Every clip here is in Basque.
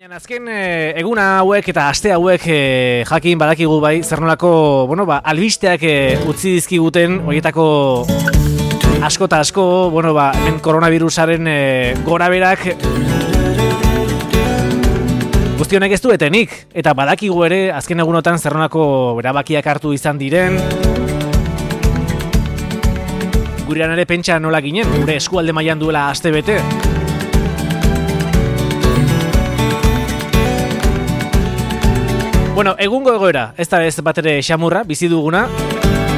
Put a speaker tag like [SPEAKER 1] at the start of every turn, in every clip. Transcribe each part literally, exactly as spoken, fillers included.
[SPEAKER 1] Azken e, eguna hauek eta aste hauek e, jakin badakigu bai zer nolako, bueno, ba, albisteak e, utzi dizkiguten horietako asko eta asko, bueno, ba, hemen koronavirusaren e, goraberak guztionek ez duetenik, eta badakigu ere azken egunotan zer nolako erabakiak hartu izan diren. Gurean ere pentsa nola ginen, gure eskualde mailan duela aste bete. Bueno, egungo egoera, ez da ez bat ere xamurra, bizi duguna,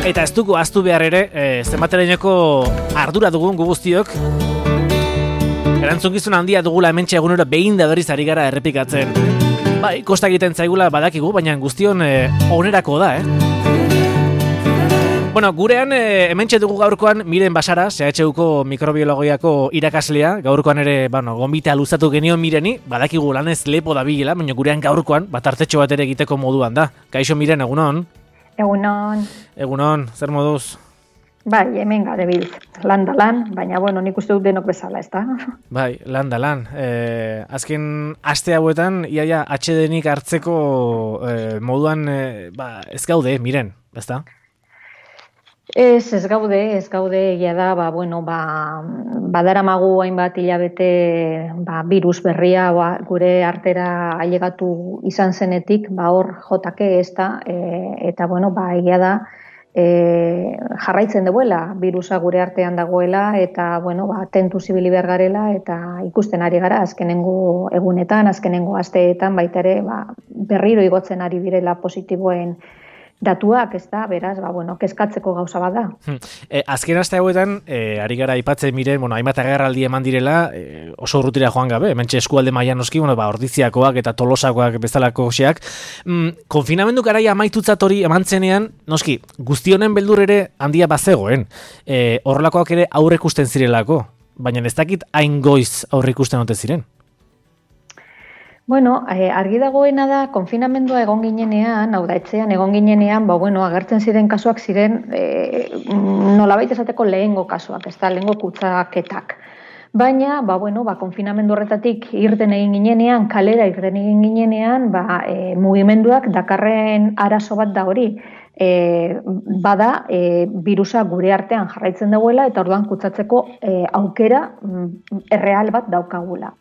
[SPEAKER 1] eta ez dugu ahaztu behar ere, e, zenbatereneko ardura dugun gu guztiok. Erantzukizun handia dugula hementxe egunero behin da berriz ari gara errepikatzen. Bai, kosta egiten zaigula badakigu, baina guztion e, onerako da, eh? Bueno, gurean e, hementxe dugu gaurkoan Miren Basara, C H Uko mikrobiologiako irakaslea, gaurkoan ere, bueno, gonbita luzatu genion Mireni, badakigu lanez lepo da bilela, baina gurean gaurkoan, bat hartetxo bat ere egiteko moduan da. Kaixo Miren, egunon?
[SPEAKER 2] Egunon.
[SPEAKER 1] Egunon, zer moduz?
[SPEAKER 2] Bai, hemen gade biltz, lan da lan, baina bueno, nik uste dut denok bezala, ez da?
[SPEAKER 1] Bai, lan da lan. E, azken aste hauetan, iaia atsedenik hartzeko e, moduan, e, ba, ez gaude, Miren, ez da?
[SPEAKER 2] Ez, ez gaude, ez gaude, egia da, ba, bueno, ba, badaramagu hainbat hilabete ba, virus berria ba, gure artera ailegatu izan zenetik, ba, hor jotake ez da, e, eta, bueno, ba, egia da, e, jarraitzen duela, virusa gure artean dagoela, eta, bueno, ba, tentu zibili behar garela, eta ikusten ari gara, azkenengo egunetan, azkenengo asteetan, baita ere, ba, berriro igotzen ari direla positiboen datuak, ez da, beraz, ba, bueno, kezkatzeko gauza bat da.
[SPEAKER 1] E, azken aste hauetan, e, ari gara aipatzen Miren, bueno, hainbat agerraldi eman direla, e, oso urrutira joan gabe, hementxe eskualde mailan noski, bueno, ba, Ordiziakoak eta Tolosakoak bezalako xeak. Mm, konfinamendu garaia amaitutzat hori eman zenean, noski, guztionen beldur ere handia bazegoen. E, horrelakoak ere aurrekusten zirelako, baina ez dakit hain goiz aurrekusten ote ziren.
[SPEAKER 2] Bueno, eh, argi dagoena da, konfinamendua egon ginenean, hau da, etxean egon ginenean, ba, bueno, agertzen ziren kasuak ziren, eh, nolabait esateko lehengo kasuak, ez da, lehengo kutsaketak. Baina, ba, bueno, ba, konfinamendu horretatik irten egin ginenean, kalera irten egin ginenean, ba, e, mugimenduak dakarren arazo bat da hori. E, bada, e, virusa gure artean jarraitzen dagoela, eta orduan kutsatzeko e, aukera mm, erreal bat daukagula.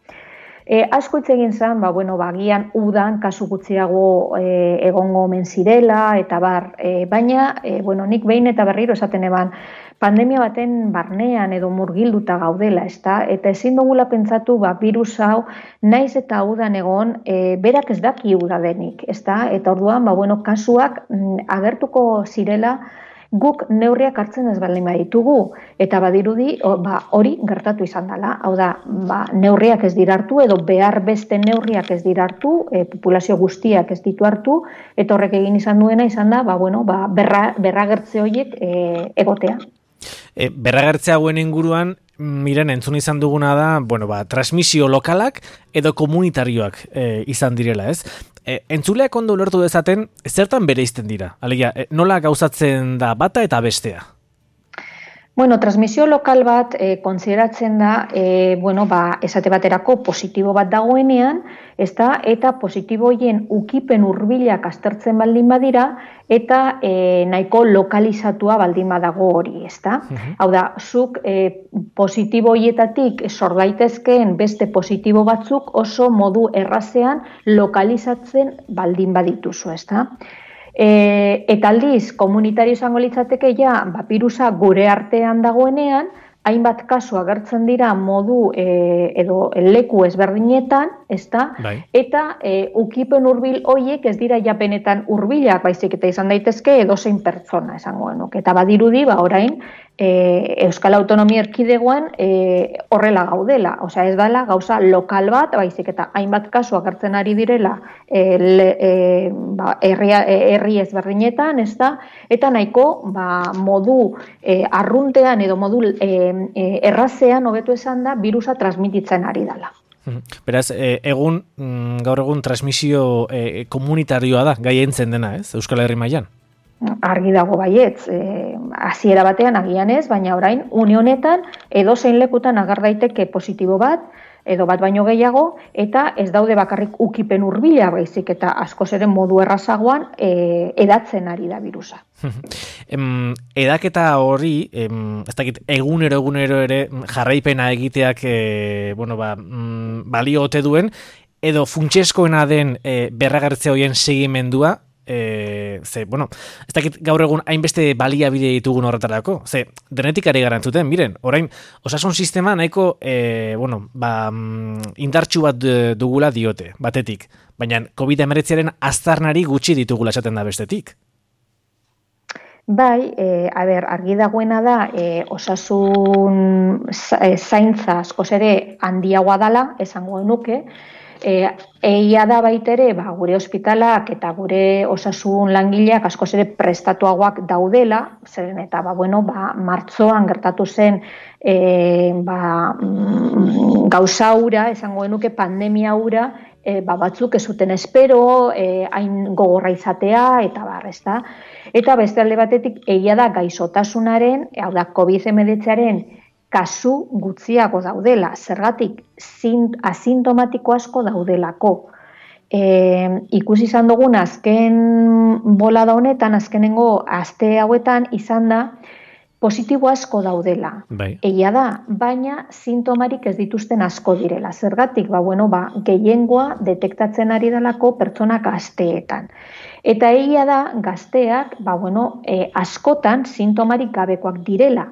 [SPEAKER 2] E, asko hitz egin zen, ba, bueno, ba, gian udan kasu gutxiago e, egongo omen zirela, eta bar, e, baina, e, bueno, nik behin eta berriro esaten eban, pandemia baten barnean edo murgilduta gaudela, ezta? Eta ezin dugula pentsatu, ba, virus hau, naiz eta udan egon, e, berak ez daki uda denik, ezta? Eta orduan, ba, bueno, kasuak mm, agertuko zirela, guk neurriak hartzen ez baldin baditugu, eta badirudi o, ba, hori gertatu izan dela. Hau da, ba, neurriak ez dira hartu, edo behar beste neurriak ez dira hartu, e, populazio guztiak ez ditu hartu, eta horrek egin izan duena izan da, ba, bueno, ba, berra, berragertze horiek e, egotea.
[SPEAKER 1] E, berragertze hauen inguruan, Miren, entzun izan duguna da, bueno, ba, transmisio lokalak edo komunitarioak e, izan direla, ez? E, entzuleak ondo ulertu dezaten, zertan bereizten dira? Alegia, e, nola gauzatzen da bata eta bestea?
[SPEAKER 2] Bueno, transmisio lokal bat e, konsideratzen da, e, bueno, ba, esate baterako positibo bat dagoenean, ezta, eta positibo hoien ukipen hurbilak aztertzen baldin badira, eta e, nahiko lokalizatua baldin badago hori, ezta? Uh-huh. Hau da, zuk e, positibo hoietatik sor daitezkeen beste positibo batzuk oso modu errazean lokalizatzen baldin badituzu, ezta? E, eta aldiz, komunitario izango litzateke ja, ba, virusa gure artean dagoenean, hainbat kasu agertzen dira modu e, edo leku ezberdinetan, ezta? Bai. Eta e, ukipen hurbil hoiek ez dira japenetan hurbilak, baizik eta izan daitezke edozein pertsona esango genuke. Eta badirudi, ba orain e, Euskal Autonomia Erkidegoan e, horrela gaudela, osea ez dela gauza lokal bat, baizik eta hainbat kasu agertzen ari direla e, le, e, ba, herri, herri ezberdinetan, ezta? Eta nahiko ba, modu e, arruntean edo modu e, e, errazean hobetu esan da virusa transmititzen ari dela.
[SPEAKER 1] Beraz, egun, gaur egun transmisio e, komunitarioa da, gai entzen dena, ez, Euskal Herri mailan?
[SPEAKER 2] Argi dago baietz, e, hasiera batean agian ez, baina orain, une honetan, edozein lekutan agar daiteke positibo bat, edo bat baino gehiago, eta ez daude bakarrik ukipen hurbila baizik, eta askoz ere modu errazagoan e, edatzen ari da birusa.
[SPEAKER 1] em, edaketa hori, em, ez dakit, egunero egunero ere jarraipena egiteak e, bueno, ba, mm, balio ote duen, edo funtsezkoena den e, berragertze horien segimendua, E, ze, bueno, ez dakit gaur egun hainbeste baliabide ditugun horretarako, ze, denetik ari garantzuten, miren, orain, osasun sistema nahiko, e, bueno, ba, indartsu bat dugula diote, batetik, baina covid hemeretziaren aztarnari gutxi ditugula esaten da bestetik.
[SPEAKER 2] Bai, e, a ber, argi dagoena da, e, osasun zaintza askoz ere handiagoa dala, esango nuke, E, egia da baitere, ba, gure ospitalak eta gure osasun langileak askoz ere prestatuagoak daudela, zeren eta ba, bueno, ba, martzoan gertatu zen e, ba, mm, gauza hura, esango genuke pandemia hura, e, ba, batzuk ez zuten espero, e, hain gogorra izatea, eta bar, ezta. Eta beste alde batetik, egia da gaixotasunaren, hau da, covid hemeretziaren kasu gutxiago daudela, zergatik asintomatiko asko daudelako. E, ikusi izan dugun azken bolada honetan, azkenengo aste hauetan izan da, positibo asko daudela.
[SPEAKER 1] Bai.
[SPEAKER 2] Egia da, baina sintomarik ez dituzten asko direla. Zergatik, ba, bueno, ba, gehiengoa detektatzen ari delako pertsonak gazteetan. Eta egia da, gazteak, ba, bueno, e, askotan sintomarik gabekoak direla.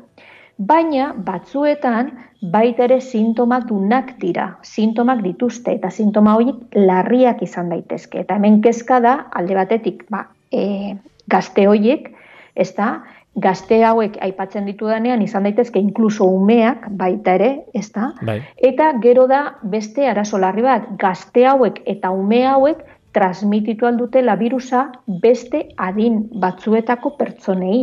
[SPEAKER 2] Baina batzuetan baita ere sintomak dunak dira, sintomak dituzte eta sintoma horiek larriak izan daitezke. Eta hemen kezka da, alde batetik, ba, e, gazte horiek, ez da, gazte hauek aipatzen ditudanean izan daitezke inkluso umeak baita ere, ez da?
[SPEAKER 1] Bai.
[SPEAKER 2] Eta gero da beste arazo larri bat, gazte hauek eta ume hauek transmititu aldutela birusa beste adin batzuetako pertsonei.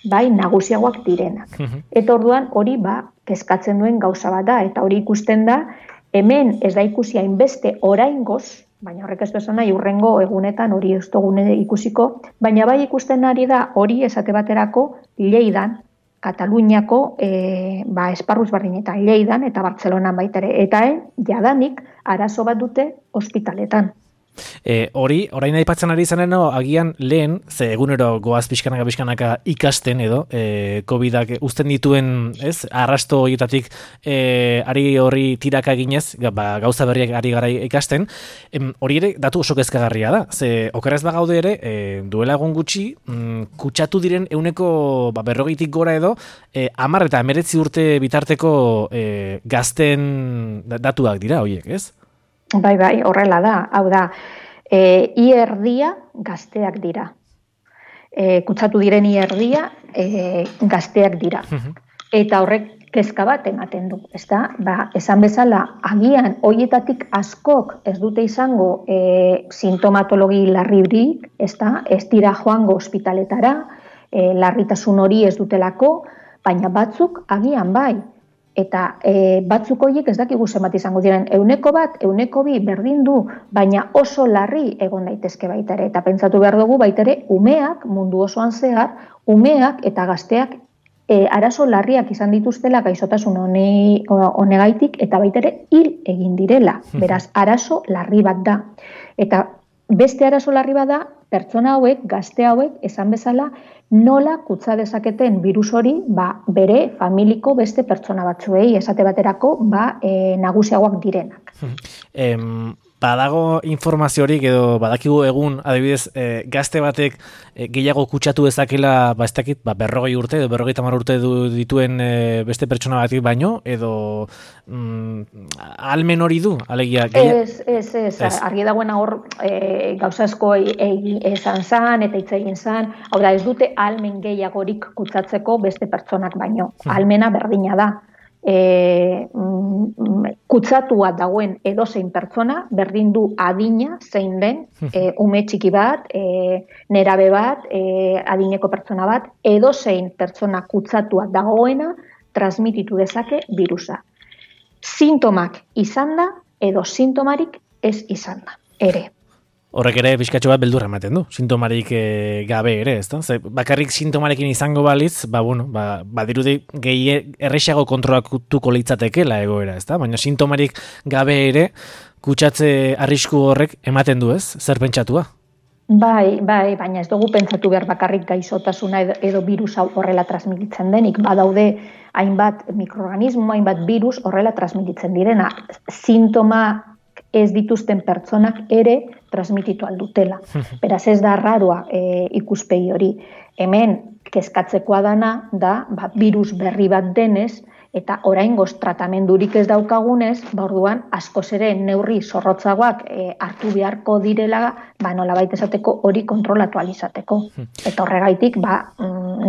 [SPEAKER 2] Bai, nagusiagoak direnak. Eta orduan hori ba, kezkatzen duen gauza bat da, eta hori ikusten da, hemen ez da ikusi hainbeste oraingoz, baina horrek ez du esan nahi urrengo egunetan hori ez dugune ikusiko, baina bai ikusten ari da hori esate baterako Lleidan, Kataluniako e, ba, esparruz barrinetan, Lleidan eta Bartzelonan baita ere, eta eh, jadanik arazo bat dute ospitaletan.
[SPEAKER 1] E, hori, orain aipatzen ari izanen, no, agian lehen, ze egunero goaz pixkanaka pixkanaka ikasten edo, e, covidak uzten dituen, ez, arrasto horietatik e, ari horri tiraka eginez, ba, gauza berriak ari gara ikasten, em, hori ere datu oso kezkagarria da, ze okerrez bagaude ere, e, duela egun gutxi, mm, kutsatu diren euneko ba, berrogeitik gora edo, e, amar eta emeretzi urte bitarteko e, gazten datuak dira horiek, ez?
[SPEAKER 2] Bai, bai, horrela da. Hau da, e, ierdia gazteak dira. E, kutsatu diren ierdia e, gazteak dira. Eta horrek kezka bat ematen du, ezta? Ba, esan bezala, agian hoietatik askok ez dute izango e, sintomatologi larririk, ezta? Ez dira joango ospitaletara, e, larritasun hori ez dutelako, baina batzuk agian bai. Eta e, batzuk horiek ez dakigu zenbat izango diren, euneko bat, euneko bi berdin du, baina oso larri egon daitezke baita ere. Eta pentsatu behar dugu baita ere, umeak, mundu osoan zehar, umeak eta gazteak e, arazo larriak izan dituztela gaixotasun hone, honegaitik eta baita ere hil egin direla. Beraz, arazo larri bat da. Eta beste arazo larri bat da, pertsona hauek, gazte hauek, esan bezala, nola kutsa dezaketen virus hori ba, bere familiko beste pertsona batzuei, esate baterako ba, e, nagusiagoak direnak.
[SPEAKER 1] Em, badago informaziorik edo badakigu egun, adibidez, e, gazte batek e, gehiago kutsatu dezakela, ba, ez dakit, ba, berrogei urte edo berrogei tamar urte du, dituen e, beste pertsona batik baino, edo mm, almen hori du, alegia?
[SPEAKER 2] Ez, ez, ez, ez. Argi dagoena hor e, gauza asko esan zan eta hitz egin zan, hau da ez dute almen gehiagorik kutsatzeko beste pertsonak baino, almena berdina da. E, mm, kutsatua dagoen edozein pertsona, berdin du adina zein den, e, ume txiki bat, e, nerabe bat, e, adineko pertsona bat, edozein pertsona kutsatua dagoena transmititu dezake virusa. Sintomak izan da, edo sintomarik ez izan da, ere.
[SPEAKER 1] Horrek ere pixkatxo bat beldurra ematen du, sintomarik e, gabe ere, ezta? Ze, bakarrik sintomarekin izango balitz, ba, bueno, ba, badirudi gehi errexago kontrolatuko litzatekela egoera, ezta? Baina sintomarik gabe ere, kutsatze arrisku horrek ematen du, ez? Zer pentsatua?
[SPEAKER 2] Bai, bai, baina ez dugu pentsatu behar bakarrik gaixotasuna edo, edo virus hau horrela transmititzen denik, badaude hainbat mikroorganismo, hainbat virus horrela transmititzen direna. Sintoma ez dituzten pertsonak ere transmititu aldutela. Beraz ez da raroa e, ikuspegi hori. Hemen kezkatzekoa dana da ba, virus berri bat denez, eta oraingoz tratamendurik ez daukagunez, ba orduan askoz ere neurri zorrotzagoak e, hartu beharko direla, ba nolabait esateko hori kontrolatu ahal izateko. Eta horregaitik ba,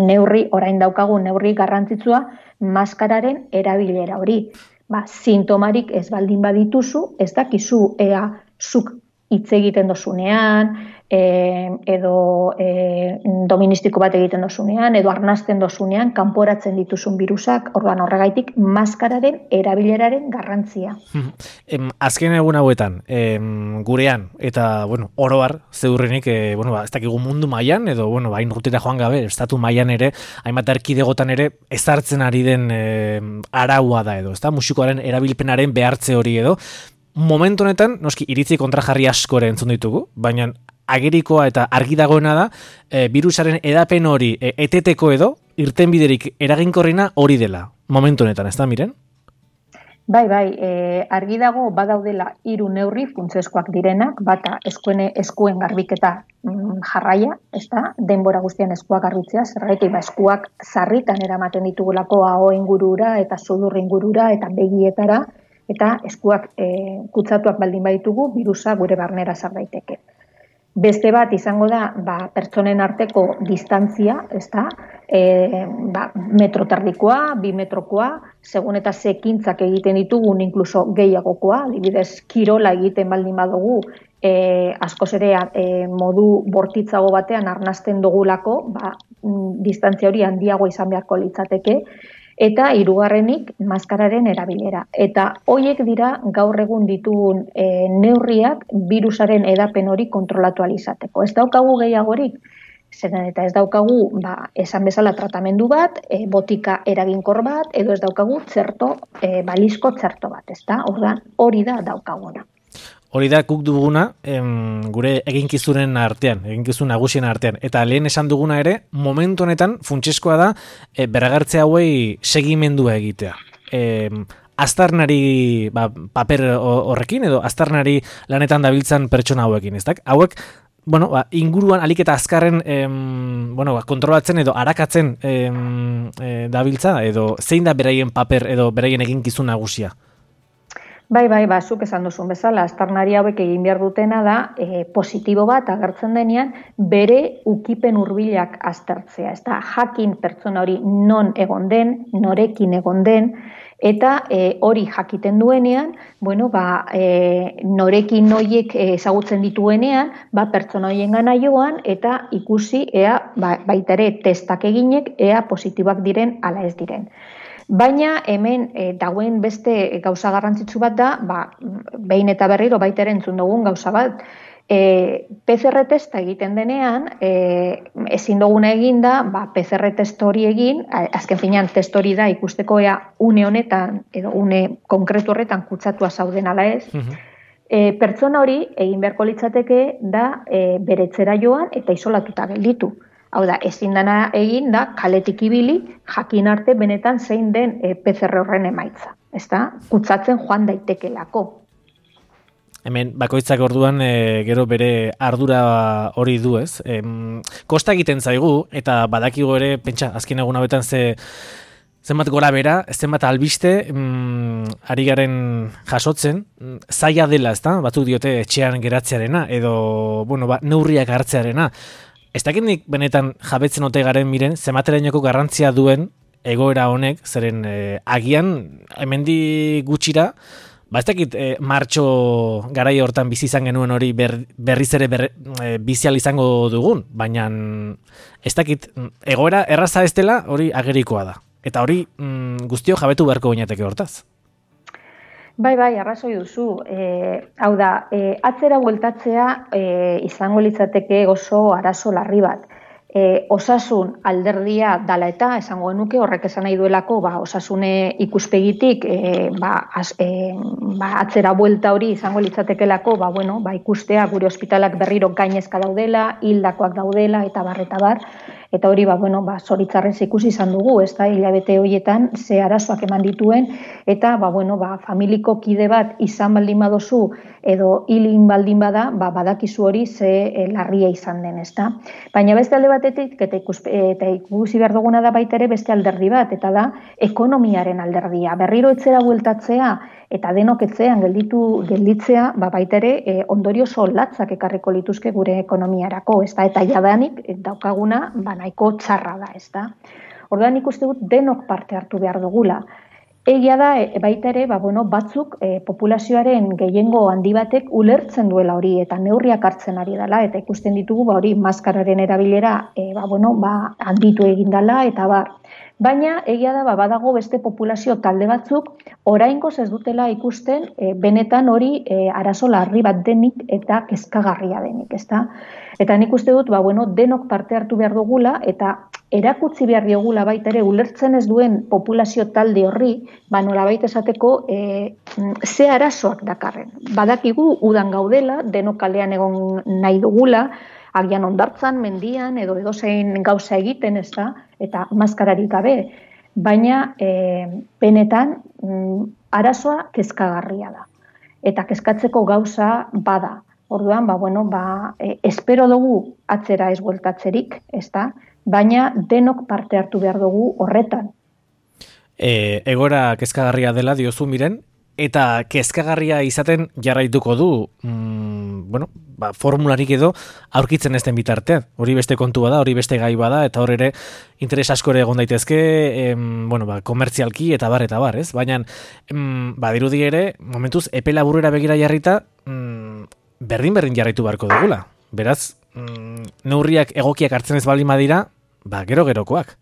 [SPEAKER 2] neurri orain daukagun neurri garrantzitsua maskararen erabilera hori. Ba, sintomarik ez baldin badituzu, ez dakizu ea zuk hitz egiten dozunean, e, edo e, doministiko bat egiten dozunean, edo arnasten dozunean, kanporatzen dituzun virusak, orduan horregaitik maskararen erabileraren garrantzia.
[SPEAKER 1] Em, azken egun hauetan, em, gurean, eta bueno, oroar, zeurrenik, e, bueno, ba, ez dakigu mundu mailan edo bueno, bain rutera joan gabe, estatu mailan ere, hainbat erkidegotan ere, ezartzen ari den e, araua da edo, ezta? Musikoaren erabilpenaren behartze hori edo, momentu honetan, noski, iritzi kontrajarri asko ere entzun ditugu, baina agerikoa eta argi dagoena da, e, virusaren edapen hori e, eteteko edo, irtenbiderik eraginkorrena hori dela, momentu honetan, ez da, Miren?
[SPEAKER 2] Bai, bai, e, argi dago badaudela hiru neurri funtsezkoak direnak, bata eskuen, eskuen garbiketa mm, jarraia, ez da, denbora guztian eskuak garbitzea, zergatik ba, eskuak sarritan eramaten ditugulako aho ingurura eta sudur ingurura eta begietara, eta eskuak e, kutsatuak baldin baditugu, virusa gure barnera sar daiteke. Beste bat izango da, ba, pertsonen arteko distantzia, ezta? E, ba, metro terdikoa, bi metrokoa, segun eta zekintzak egiten ditugun, inkluso gehiagokoa, adibidez kirola egiten baldin badugu, e, askoz ere e, modu bortitzago batean arnasten dugulako, ba, distantzia hori handiago izan beharko litzateke, eta hirugarrenik maskararen erabilera. Eta hoiek dira gaur egun ditugun e, neurriak virusaren edapen hori kontrolatu ahal izateko. Ez daukagu gehiagorik, zeren eta ez daukagu ba, esan bezala tratamendu bat, e, botika eraginkor bat, edo ez daukagu txerto, e, balizko txerto bat, ezta? Orduan hori da daukaguna.
[SPEAKER 1] Hori da guk duguna em, gure eginkizunen artean, eginkizun nagusien artean. Eta lehen esan duguna ere, momentu honetan funtsezkoa da e, berragertze hauei segimendua egitea. E, aztarnari ba, paper horrekin edo aztarnari lanetan dabiltzan pertsona hauekin, ez da? Hauek, bueno, ba, inguruan alik eta azkarren em, bueno, ba, kontrolatzen edo arakatzen em, e, dabiltza edo zein da beraien paper edo beraien eginkizun nagusia?
[SPEAKER 2] Bai, bai, ba, zuk esan duzun bezala, aztarnari hauek egin behar dutena da, e, positibo bat agertzen denean, bere ukipen hurbilak aztertzea. Ez da, jakin pertsona hori non egon den, norekin egon den, eta e, hori jakiten duenean, bueno, ba, e, norekin noiek ezagutzen dituenean, ba, pertsona horien gana joan, eta ikusi, ea, ba, baita ere testak eginek, ea positiboak diren ala ez diren. Baina hemen e, dagoen beste gauza garrantzitsu bat da, ba, behin eta berriro baita ere entzun dugun gauza bat, e, P C R testa egiten denean, e, ezin duguna egin da, ba, P C R test hori egin, azken finean test hori da ikusteko ea une honetan, edo une konkretu horretan kutsatua zauden ala ez, uh-huh. e, pertsona hori egin beharko litzateke da e, bere etxera joan eta isolatuta gelditu. Hau da, ezin dana egin da, kaletik ibili, jakin arte benetan zein den e, P C R horren emaitza. Ez da, kutsatzen joan daitekelako.
[SPEAKER 1] Hemen, bakoitzak orduan e, gero bere ardura hori du, ez? E, kosta egiten zaigu, eta badakigu ere, pentsa, azken egun hauetan ze... Zenbat gora bera, zenbat albiste, mm, ari garen jasotzen, zaila dela, ezta? Batzuk diote etxean geratzearena, edo, bueno, ba, neurriak hartzearena. Ez dakindik benetan jabetzen ote garen Miren, zematerainoko garrantzia duen egoera honek, zeren eh, agian hemendi gutxira, ba ez dakit eh, martxo garai hortan bizi izan genuen hori ber, berriz ere ber, eh, bizial izango dugun, baina ez dakit egoera erraza ez dela hori agerikoa da. Eta hori mm, guztio jabetu beharko gainateke hortaz.
[SPEAKER 2] Bai, bai, arrazoi duzu. E, hau da, e, atzera bueltatzea e, izango litzateke oso arazo larri bat. E, osasun alderdia dala eta esango genuke horrek esan nahi duelako ba, osasune ikuspegitik e, ba, az, e, ba, atzera buelta hori izango litzatekelako ba, bueno, ba, ikustea gure ospitalak berriro gainezka daudela, hildakoak daudela eta bar eta bar. Eta hori, ba, bueno, ba, zoritzarrez ikusi izan dugu, ez da, hilabete horietan ze arazoak eman dituen, eta, ba, bueno, ba, familiko kide bat izan baldin badozu, edo hilin baldin bada, ba, badakizu hori ze e, larria izan den, ez da. Baina beste alde batetik, eta, ikus, eta ikusi behar duguna da baita ere beste alderdi bat, eta da, ekonomiaren alderdia. Berriro etzera bueltatzea, eta denok etzean gelditu gelditzea, ba, baita ere e, ondorio latzak ekarriko lituzke gure ekonomiarako, ez da, eta jadanik daukaguna, ba, nahiko txarra da, ez da. Orduan ikuste dut denok parte hartu behar dugula. Egia da, e, baita ere, ba, bueno, batzuk e, populazioaren gehiengo handi batek ulertzen duela hori eta neurriak hartzen ari dela, eta ikusten ditugu ba, hori maskararen erabilera e, ba, bueno, ba, handitu egin dela, eta bar. Baina, egia da, ba, badago beste populazio talde batzuk, oraingoz ez dutela ikusten e, benetan hori e, arazo larri bat denik eta kezkagarria denik, ezta? Eta nik uste dut, ba, bueno, denok parte hartu behar dugula, eta erakutsi behar diogula baita ere ulertzen ez duen populazio talde horri, ba, nolabait esateko e, ze arazoak dakarren. Badakigu udan gaudela, denok kalean egon nahi dugula, agian ondartzan, mendian, edo edozein gauza egiten, ez da, eta maskararik gabe. Baina, e, benetan, mm, arazoa kezkagarria da. Eta kezkatzeko gauza bada. Orduan, ba, bueno, ba, e, espero dugu atzera ez bueltatzerik, ez da, baina denok parte hartu behar dugu horretan.
[SPEAKER 1] E, egora kezkagarria dela diozu Miren, eta kezkagarria izaten jarraituko du, mm, bueno, ba, formularik edo aurkitzen ez den bitartean. Hori beste kontua da, hori beste gai bada, eta hor ere interes asko ere egon daitezke, em, bueno, ba, komertzialki eta bar eta bar, ez? Baina, em, badirudi ere, momentuz, epe laburera begira jarrita, mm, berdin-berdin jarraitu beharko dugula. Beraz, mm, neurriak egokiak hartzen ez baldin badira, ba, gero-gerokoak.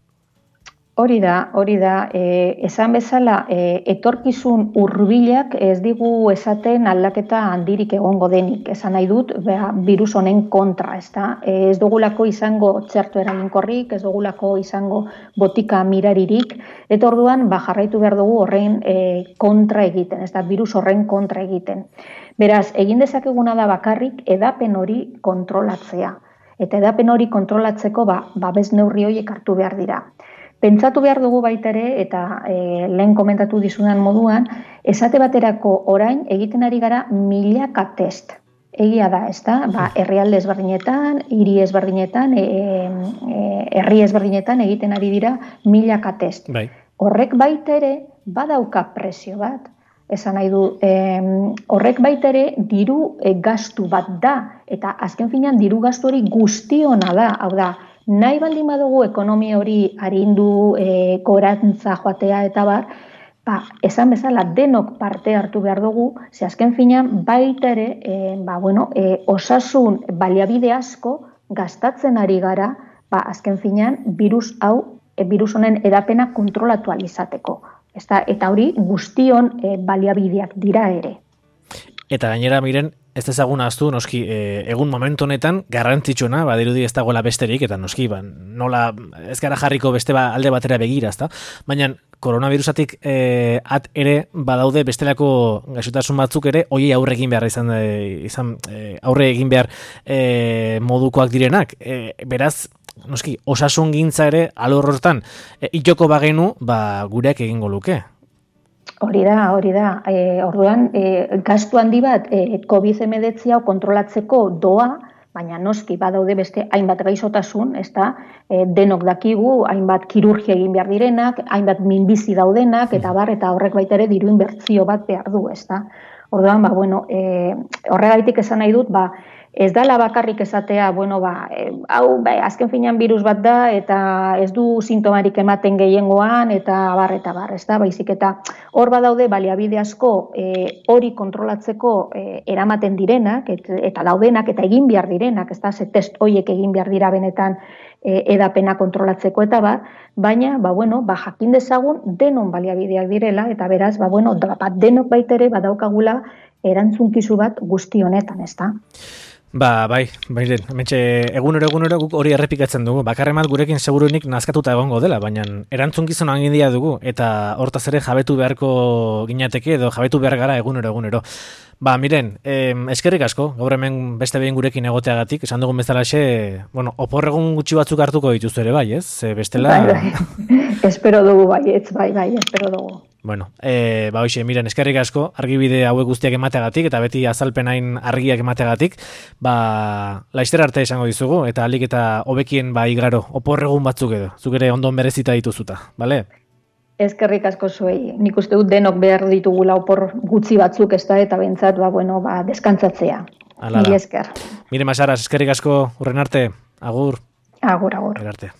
[SPEAKER 2] Hori da, hori da, e, esan bezala, e, etorkizun hurbilak ez digu esaten aldaketa handirik egongo denik. Esan nahi dut, beha, virus honen kontra, ez da? E, ez dugulako izango txerto eraginkorrik, ez dugulako izango botika miraririk, eta orduan, ba, jarraitu behar dugu horren e, kontra egiten, ez da, virus horren kontra egiten. Beraz, egin dezakeguna da bakarrik edapen hori kontrolatzea. Eta edapen hori kontrolatzeko, ba, babes neurri horiek hartu behar dira. Pentsatu behar dugu baita ere, eta e, lehen komentatu dizudan moduan, esate baterako orain egiten ari gara milaka test. Egia da, ez da? Ba, herrialde ezberdinetan, hiri ezberdinetan, e, e, herri ezberdinetan egiten ari dira milaka test.
[SPEAKER 1] Bai.
[SPEAKER 2] Horrek baita ere badauka presio bat. Esan nahi du, e, horrek baita ere diru e, gastu bat da, eta azken finean diru gastu hori guztiona da, hau da, nahi baldin badugu ekonomia hori arindu, e, gorantza joatea eta bar, ba, esan bezala denok parte hartu behar dugu, ze azken finean baita ere, e, ba, bueno, e, osasun baliabide asko gastatzen ari gara, ba, azken finean virus hau, e, virus honen edapena kontrolatu alizateko. Eta, eta hori guztion e, baliabideak dira ere.
[SPEAKER 1] Eta gainera, Miren, ez ezaguna aztu, noski, e, egun momentu honetan, garrantzitsuena, badirudi ez dagoela besterik, eta noski, ba, nola ez gara jarriko beste ba, alde batera begira, ezta? Baina, koronavirusatik e, at ere, badaude bestelako gaixotasun batzuk ere, hoiei aurre egin behar izan, e, izan e, aurre egin behar e, modukoak direnak. E, beraz, noski, osasun gintza ere, alor hortan, e, itxoko bagenu, ba, gureak egingo luke.
[SPEAKER 2] Hori da, hori da. E, orduan, e, gastu handi bat e, covid hemeretzi hau kontrolatzeko doa, baina noski badaude beste hainbat gaixotasun, ez da, e, denok dakigu, hainbat kirurgia egin behar direnak, hainbat minbizi daudenak, eta bar, eta horrek baita ere diru inbertsio bat behar du, ez da. Orduan, ba, bueno, e, horregaitik esan nahi dut, ba, ez dala bakarrik esatea, bueno, ba, e, hau, ba, azken finean virus bat da, eta ez du sintomarik ematen gehiengoan, eta bar, eta bar, ez da, baizik, eta hor badaude baliabide asko e, hori kontrolatzeko e, eramaten direnak, et, eta daudenak, eta egin behar direnak, ez da, ze test horiek egin behar dira benetan e, edapena kontrolatzeko, eta ba, baina, ba, bueno, ba, jakin dezagun denon baliabideak direla, eta beraz, ba, bueno, da, ba, denok baitere badaukagula erantzunkizu bat guzti honetan, ez da.
[SPEAKER 1] Ba, bai, bairen, hementxe egunero egunero guk hori errepikatzen dugu. Bakarremat gurekin segurunik nazkatuta egongo dela, baina erantzunkizunan handia dugu eta hortaz ere jabetu beharko ginateke edo jabetu behar gara egunero egunero. Ba, miren, eh, eskerrik asko, gaur hemen beste behin gurekin egoteagatik, esan dugun bezalaxe, bueno, oporregun gutxi batzuk hartuko dituzu ere, bai, ez? E, bestela...
[SPEAKER 2] Bai, bai, espero dugu, bai, ez, bai, bai, espero dugu.
[SPEAKER 1] Bueno, e, ba, hoxe, miren, eskerrik asko, argibide hauek guztiak emateagatik, eta beti azalpenain argiak emateagatik, ba, laizter arte esango dizugu, eta alik eta hobekien, ba, igaro, oporregun batzuk edo, zuk ere ondon berezita dituzuta, bale?
[SPEAKER 2] Eskerrik asko zuei. Nik uste dut denok behar ditugula opor gutxi batzuk, ez da, eta bentsat, ba, bueno, ba, deskantzatzea. Mila esker.
[SPEAKER 1] Mire Masaras, eskerrik asko, urren arte, agur.
[SPEAKER 2] Agur, agur.
[SPEAKER 1] Urren arte.